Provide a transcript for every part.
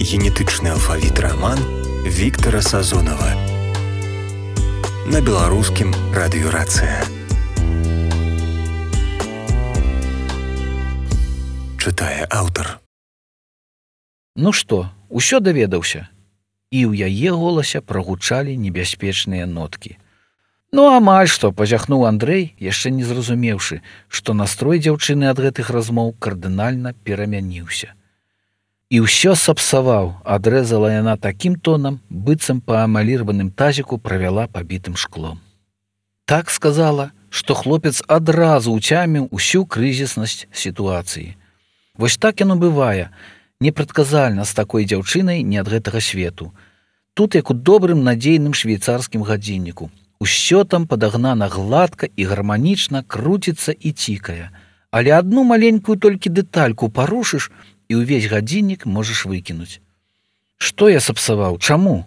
Генетычны алфавіт раман Віктара Сазонава на беларускім радыёрацыя. Чытае аўтар. Ну што, усё даведаўся? І ў яе голасе прагучалі небяспечныя ноткі. Ну, амаль што, пазяхнуў Андрэй, яшчэ не зразумеўшы, што настрой дзяўчыны ад гэтых размоў кардынальна перамяніўся. І ўсё сапсаваў, адрэзала яна такім тонам, быццам па амалірваным тазіку правяла пабітым шклом. Так сказала, што хлопец адразу ўцяміў усю крызіснасць сітуацыі. Вось так яно бывае, непрадказальна з такой дзяўчынай не ад гэтага свету. Тут як у добрым надзейным швейцарскім гадзінніку. Усё там падагнана гладка і гарманічна круціцца і цікае. Але адну маленькую толькі дэтальку парушыш, і ўвесь гадзіннік можаш выкінуць. Што я сапсаваў? Чаму?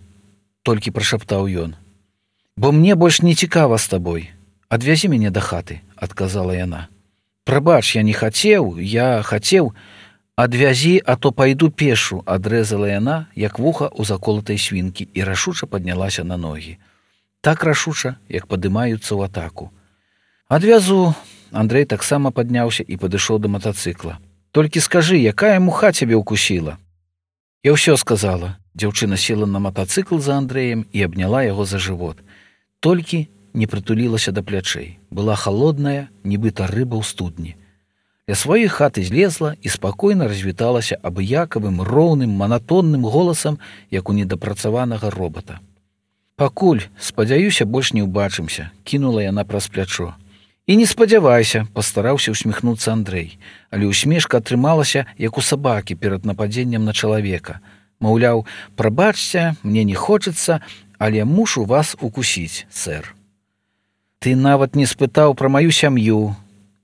Толькі прашаптаў ён. Бо мне больш не цікава з табой. Адвязі мяне да хаты, адказала яна. Прабач, я не хацеў, я хацеў. Адвязі, а то пайду пешу, адрэзала яна, як вуха ў заколатай свінкі, і рашуча паднялася на ногі. Так рашуча, як падымаюцца ў атаку. Адвязу. Андрэй таксама падняўся і падышоў да матацыкла. Толькі скажы, якая муха цябе ўкусіла? Я ўсё сказала. Дзяўчына села на матацыкл за Андрэем і абняла яго за жывот. Толькі не прытулілася да плячэй. Была халодная, нібыта рыба ў студні. Ля сваёй хаты злезла і спакойна развіталася абыякавым, роўным, манатонным голасам, як у недапрацаванага робата. Пакуль, спадзяюся, больш не ўбачымся, кінула яна праз плячо. І не спадзявайся, пастараўся усміхнуцца Андрэй, але усмешка атрымалася, як у сабакі перад нападзеннем на чалавека. Маўляў, прабачце, мне не хочацца, але мушу вас укусіць, сэр. Ты нават не спытаў пра маю сям'ю.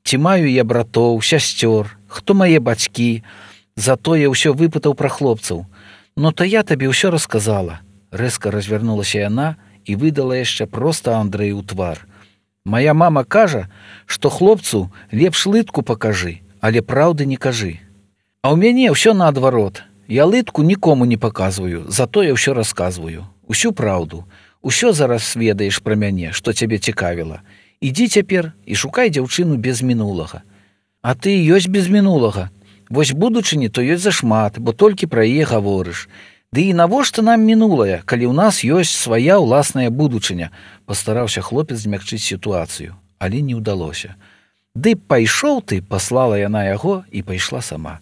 Ці маю я братоў, сясцёр, хто мае бацькі, затое ўсё выпытаў пра хлопцаў. Но то я табе ўсё расказала. Рэзка развярнулася яна і выдала яшчэ проста Андрэю ў твар. Мая мама кажа, што хлопцу лепш лытку пакажы, але праўды не кажы. А ў мяне ўсё наадварот. Я лытку нікому не паказваю, затое ўсё расказваю. Усю праўду. Усё зараз ведаеш пра мяне, што цябе цікавіла. Ідзі цяпер і шукай дзяўчыну без мінулага. А ты ёсць без мінулага. Вось будучыні то ёсць зашмат, бо толькі пра яе гаворыш. Ды і навошта нам мінулае, калі ў нас ёсць свая ўласная будучыня? Пастараўся хлопец змякчыць сітуацыю, але не ўдалося. Ды пайшоў ты, паслала яна яго і пайшла сама.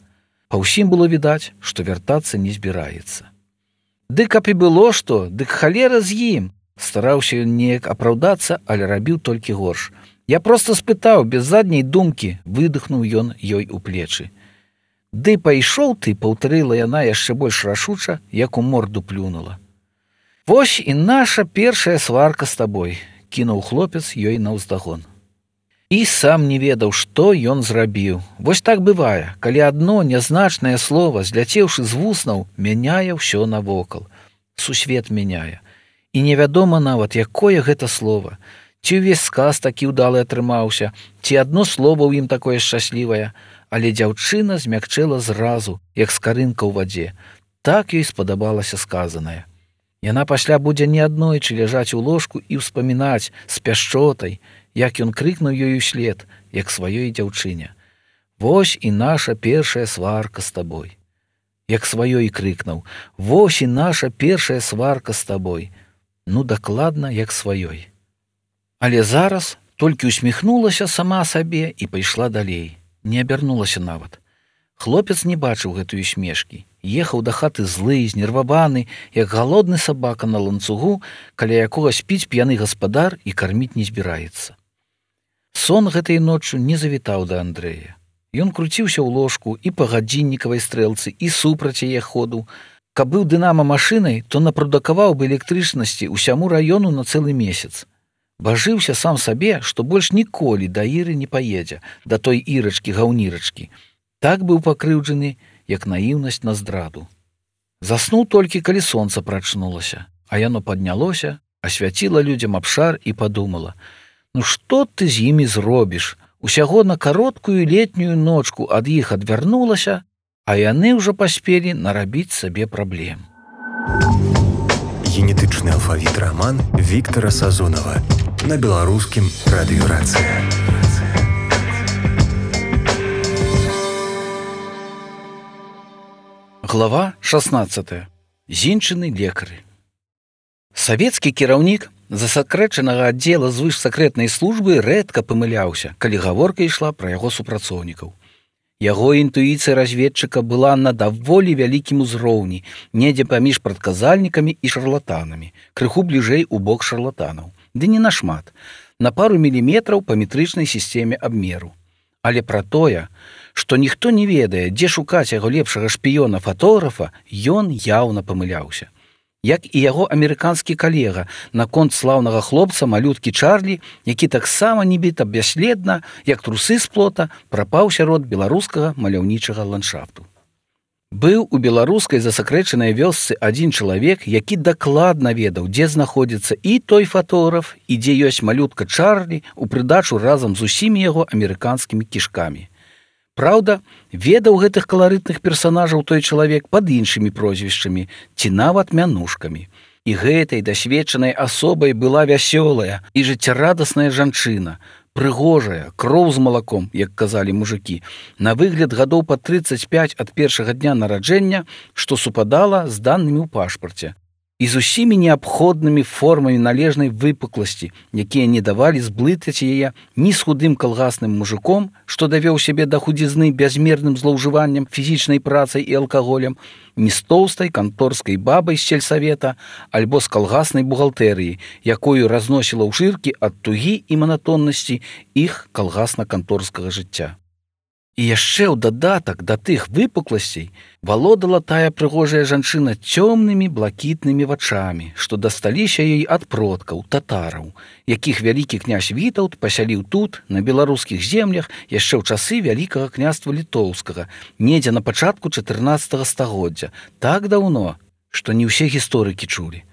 Па ўсім было відаць, што вяртацца не збіраецца. Ды каб і было што, дык халера з ім. Стараўся ён неяк апраўдацца, але рабіў толькі горш. Я проста спытаў, без задняй думкі, выдыхнуў ён ёй у плечы. Ды пайшоў ты, паўтарыла яна яшчэ больш рашуча, як у морду плюнула. Вось і наша першая сварка з табой, кінуў хлопец ёй наўздагон. І сам не ведаў, што ён зрабіў. Вось так бывае, калі адно нязначнае слова, зляцеўшы з вуснаў, мяняе ўсё навокал. Сусвет мяняе. І невядома нават, якое гэта слова. Ці ўвесь сказ такі ўдалы атрымаўся, ці адно слова ў ім такое шчаслівае, але дзяўчына змякчэла зразу, як скарынка ў вадзе. Так ёй спадабалася сказанае. Яна пасля будзе не аднойчы ляжаць у ложку і ўспамінаць з пяшчотай, як ён крыкнуў ёй услед, як сваёй дзяўчыне. Вось і наша першая сварка з табой. Як сваёй крыкнуў, вось і наша першая сварка з табой. Ну, дакладна, як сваёй. Але зараз толькі усміхнулася сама сабе і пайшла далей. Не абярнулася нават. Хлопец не бачыў гэтую смешкі. Ехаў да хаты злы, знерваваны, як галодны сабака на ланцугу, каля якога спіць п'яны гаспадар і карміць не збіраецца. Сон гэтай ноччу не завітаў да Андрэя. Ён круціўся ў ложку і па гадзіннікавай стрэлцы, і супраць яе ходу. Каб быў дынама машынай, то напрадукаваў бы электрычнасці ўсяму раёну на цэлы месяц. Бажыўся сам сабе, што больш ніколі да Іры не паедзе, да той Ірачкі-гаўнірачкі. Так быў пакрыўджаны, як наіўнасць на здраду. Заснуў толькі, калі сонца прачнулася, а яно паднялося, асвяціла людзям абшар і падумала: ну што ты з імі зробіш? Усяго на кароткую летнюю ночку ад іх адвярнулася, а яны ўжо паспелі нарабіць сабе праблем. Генетычны алфавіт раман Віктара Сазонава на беларускім радыё «Рацыя». Глава 16. Зінчыны лекары. Савецкі кіраўнік засакрэчанага аддзела звышсакрэтнай службы рэдка памыляўся, калі гаворка ішла пра яго супрацоўнікаў. Яго інтуіцыя разведчыка была на даволі вялікім узроўні, недзе паміж прадказальнікамі і шарлатанамі, крыху бліжэй у бок шарлатанаў. Ды не нашмат, на пару міліметраў па метрычнай сістэме абмеру. Але пра тое, што ніхто не ведае, дзе шукаць яго лепшага шпіёна-фатографа, ён яўна памыляўся. Як і яго амерыканскі калега наконт слаўнага хлопца малюткі Чарлі, які таксама нібыта бясследна, як трусы з плота, прапаў сярод беларускага маляўнічага ландшафту. Быў у беларускай засакрэчанай вёсцы адзін чалавек, які дакладна ведаў, дзе знаходзіцца і той фатограф, і дзе ёсць малютка Чарлі у прыдачу разам з усімі яго амерыканскімі кішкамі. Праўда, ведаў гэтых каларытных персанажаў той чалавек пад іншымі прозвішчамі ці нават мянушкамі. І гэтай дасведчанай асобай была вясёлая і жыццярадасная жанчына, прыгожая, кроў з малаком, як казалі мужыкі, на выгляд гадоў па 35 ад першага дня нараджэння, што супадала з данымі ў пашпарце, і з усімі неабходнымі формамі належнай выпукласці, якія не давалі зблытаць яе ні з худым калгасным мужиком, што давёў сябе да худзізны бязмерным злоўжываннем фізічнай працай і алкаголем, ні з тоўстай канторскай бабай з сельсавета, альбо з калгаснай бухгалтэрыі, якою разносіла ў шыркі ад тугі і манатоннасці іх калгасна-канторскага жыцця. І яшчэ ў дадатак да тых выпукласцей валодала тая прыгожая жанчына цёмнымі блакітнымі вачамі, што дасталіся ёй ад продкаў, татараў, якіх вялікі князь Вітаўт пасяліў тут, на беларускіх землях, яшчэ ў часы вялікага княства літоўскага, недзе на пачатку 14 стагоддзя, так даўно, што не ўсе гісторыкі чулі.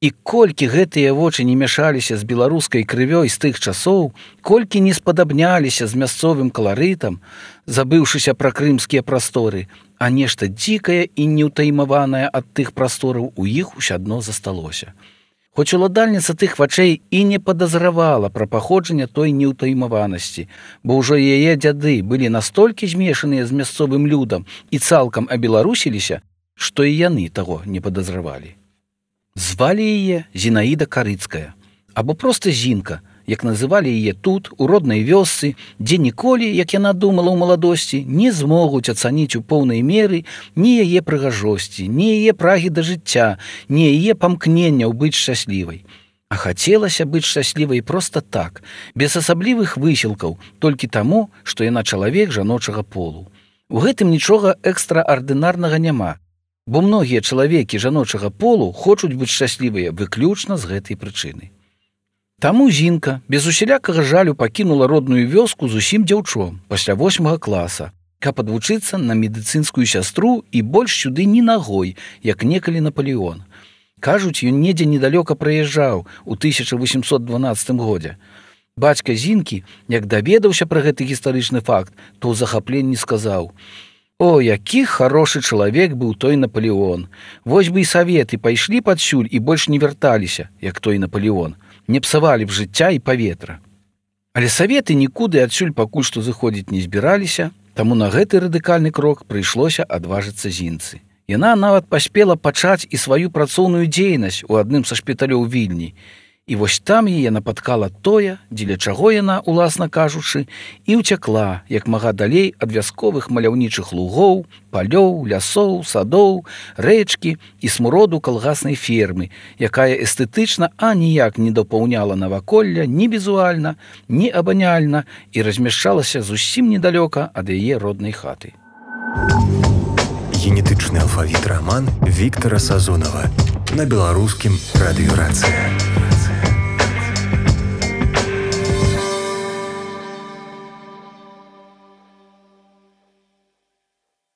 І колькі гэтыя вочы не мяшаліся з беларускай крывёй з тых часоў, колькі не спадабняліся з мясцовым каларытам, забыўшыся пра крымскія прасторы, а нешта дзікае і неўтаймаванае ад тых прастораў у іх усядно засталося. Хоць уладальніца тых вачэй і не падазравала пра паходжанне той неўтаймаванасці, бо ўжо яе дзяды былі настолькі змешаныя з мясцовым людам і цалкам абеларусіліся, што і яны таго не падазравалі. Звалі яе Зінаіда Карыцкая, або проста Зінка, як называлі яе тут, у роднай вёсцы, дзе ніколі, як яна думала ў маладосці, не змогуць ацаніць у поўнай меры ні яе прыгажосці, ні яе прагі да жыцця, ні яе памкненняў быць шчаслівай. А хацелася быць шчаслівай проста так, без асаблівых высілкаў, толькі таму, што яна чалавек жаночага полу. У гэтым нічога экстраардынарнага няма, бо многія чалавекі жаночага полу хочуць быць шчаслівыя выключна з гэтай прычыны. Таму Зінка без усялякага жалю пакінула родную вёску зусім дзяўчом пасля 8 класа, каб адвучыцца на медыцынскую сястру і больш сюды ні нагой, як некалі Наполеон. Кажуць, ён недзе недалёка праязджаў у 1812 годзе. Бацька Зінкі, як даведаўся пра гэты гістарычны факт, то ў захапленні сказаў: «О, які харошы чалавек быў той Наполеон! Вось бы і саветы пайшлі падсюль і больш не вярталіся, як той Наполеон, не псавалі б жыцця і паветра». Але саветы нікуды адсюль пакуль што зыходзіць не збіраліся, таму на гэты радыкальны крок прыйшлося адважыцца Зінцы. Яна нават паспела пачаць і сваю працоўную дзейнасць у адным са шпіталёў Вільні. І вось там яе напаткала тое, дзеля чаго яна, уласна кажучы, і ўцякла, як мага далей ад вясковых маляўнічых лугоў, палёў, лясоў, садоў, рэчкі і смуроду калгаснай фермы, якая эстэтычна аніяк не дапаўняла наваколля ні візуальна, ні абаняльна і размяшчалася зусім недалёка ад яе роднай хаты. Генетычны алфавіт раман Віктара Сазонава на беларускім радыё «Рацыя».